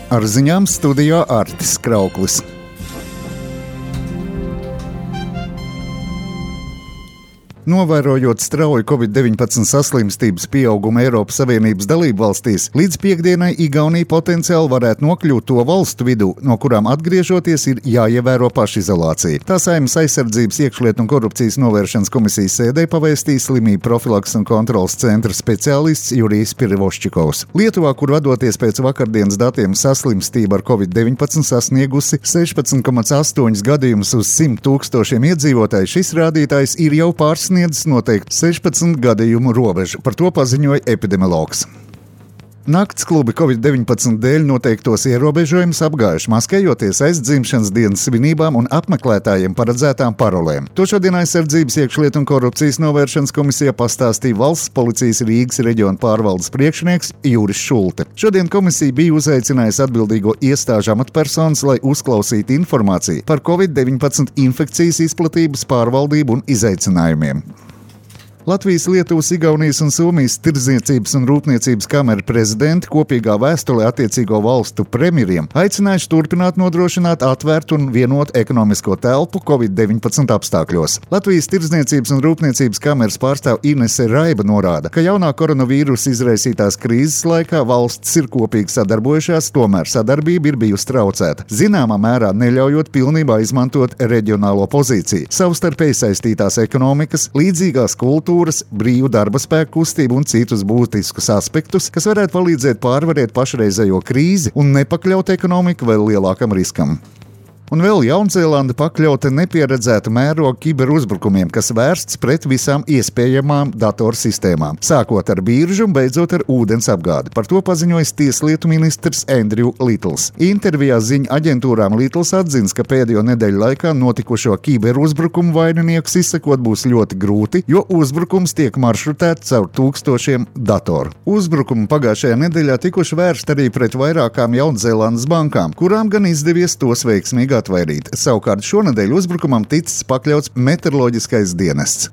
Ar ziņām studijā Artis Krauklis. Novērojot strauju Covid-19 saslimstības pieaugumu Eiropas Savienības dalībvalstīs, līdz piektdienai Igaunija potenciāli varētu nokļūt to valstu vidū, no kurām atgriežoties ir jāievēro pašizolācija. Tā Saeimas aizsardzības, iekšlietu un korupcijas novēršanas komisijas sēdē pavēstīja slimību profilakses un kontroles centra speciālists Jurijs Pirovoščikovs. Lietuvā, kur vadoties pēc vakardienas datiem, saslimstība ar Covid-19 sasniegusi 16,8 gadījumus uz 100 000 iedzīvotāju, šis rādītājs ir jau pārsniedzis noteikti 16 gadījumu robežu. Par to paziņoja epidemiologs. Nakts klubi Covid-19 dēļ noteiktos ierobežojumus apgājuši, maskējoties aiz dzimšanas dienas svinībām un apmeklētājiem paredzētām parolēm. To šodien aizsardzības, iekšlietu un korupcijas novēršanas komisijā pastāstīja Valsts policijas Rīgas reģiona pārvaldes priekšnieks Juris Šulte. Šodien komisija bija uzaicinājusi atbildīgo iestāžu amatpersonas, lai uzklausītu informāciju par Covid-19 infekcijas izplatības pārvaldību un izaicinājumiem. Latvijas, Lietuvas, Igaunijas un Somijas Tirdzniecības un rūpniecības kamera prezidenti kopīgā vēstulē attiecīgo valstu premjeriem aicinājuši turpināt nodrošināt atvērtu un vienotu ekonomisko telpu Covid-19 apstākļos. Latvijas Tirdzniecības un rūpniecības kameras pārstāv Inese Raiba norāda, ka jaunā koronavīrusa izraisītās krīzes laikā valstis ir kopīgi sadarbojušās, tomēr sadarbība ir bijusi traucēta, zināmā mērā neļaujot pilnībā izmantot reģionālo pozīciju, savstarpēji saistītās ekonomikas, līdzīgās kultūras, brīvu darba spēku kustību un citus būtiskus aspektus, kas varētu palīdzēt pārvarēt pašreizējo krīzi un nepakļaut ekonomiku vēl lielākam riskam. Un vēl Jaunzēlande pakļauta nepieredzēta mēroga kiberuzbrukumiem, kas vērsts pret visām iespējamām datorsistēmām, sākot ar biržu un beidzot ar ūdens apgādi. Par to paziņojis tieslietu ministrs Andrew Littls. Intervijā ziņu aģentūrām Littls atzins, ka pēdējo nedēļu laikā notikušo kiberuzbrukumu vaininiekus izsekot būs ļoti grūti, jo uzbrukums tiek maršrutēts caur tūkstošiem datoru. Uzbrukumi pagājušajā nedēļā tikuši vērsti arī pret vairākām Jaunzēlandes bankām, kurām gan izdevies tos veiksmīgi atvairīt. Savukārt šonedēļ uzbrukumam ticis pakļauts meteoroloģiskais dienests.